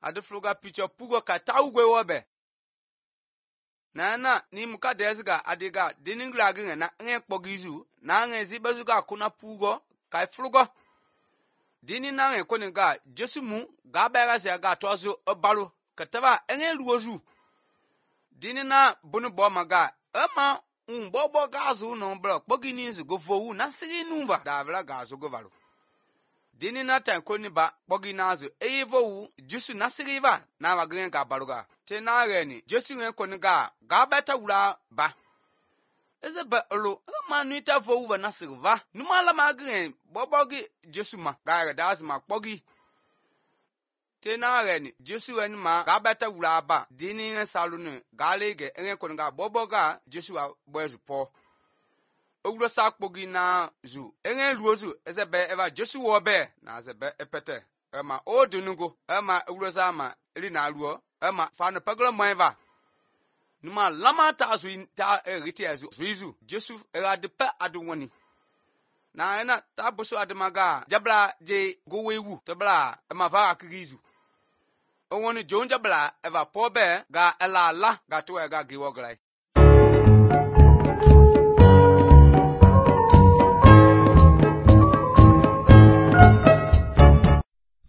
adu fluga picho pugo ka taugwe wobe na ni muka desga adiga diningra ginga na nge kpogizu na nge zibezuga kuna pugo kai flugo dini na nge koniga jesumu ga bega se ga tozu obalu kataba nge luozu dini na bunu bo maga ama bobo gazu no bro kpogini zu go fowu na sigi numba davra gazu go valu dini na tan koniba kpogina zu eyevowu jesu na sigi va na wagen ga baluga te na reni jesu nge koniga ga beta wura ba ezebe olo ma nuita fowu va na sigi va numala magen bobogi jesu ma ga daz ma kpogi te na reni jesu en ma ga beta wura ba dini nge salunu ga lege nge koniga boboga jesu a bozu po owuro sa kpogi na zu nge luozu ezebe eva jesu wo be na ezebe epete ema odunugo ema owuro sa ma ri na luo ema fa no paglo moeva numa lama ta zu ta riti azu zuizu jesu era de pe adwoni na ena ta buso ademaga jabla je gowewu tebla ema va akrizu owoni jonja bla eva pobe ga elala ga to ga giwograi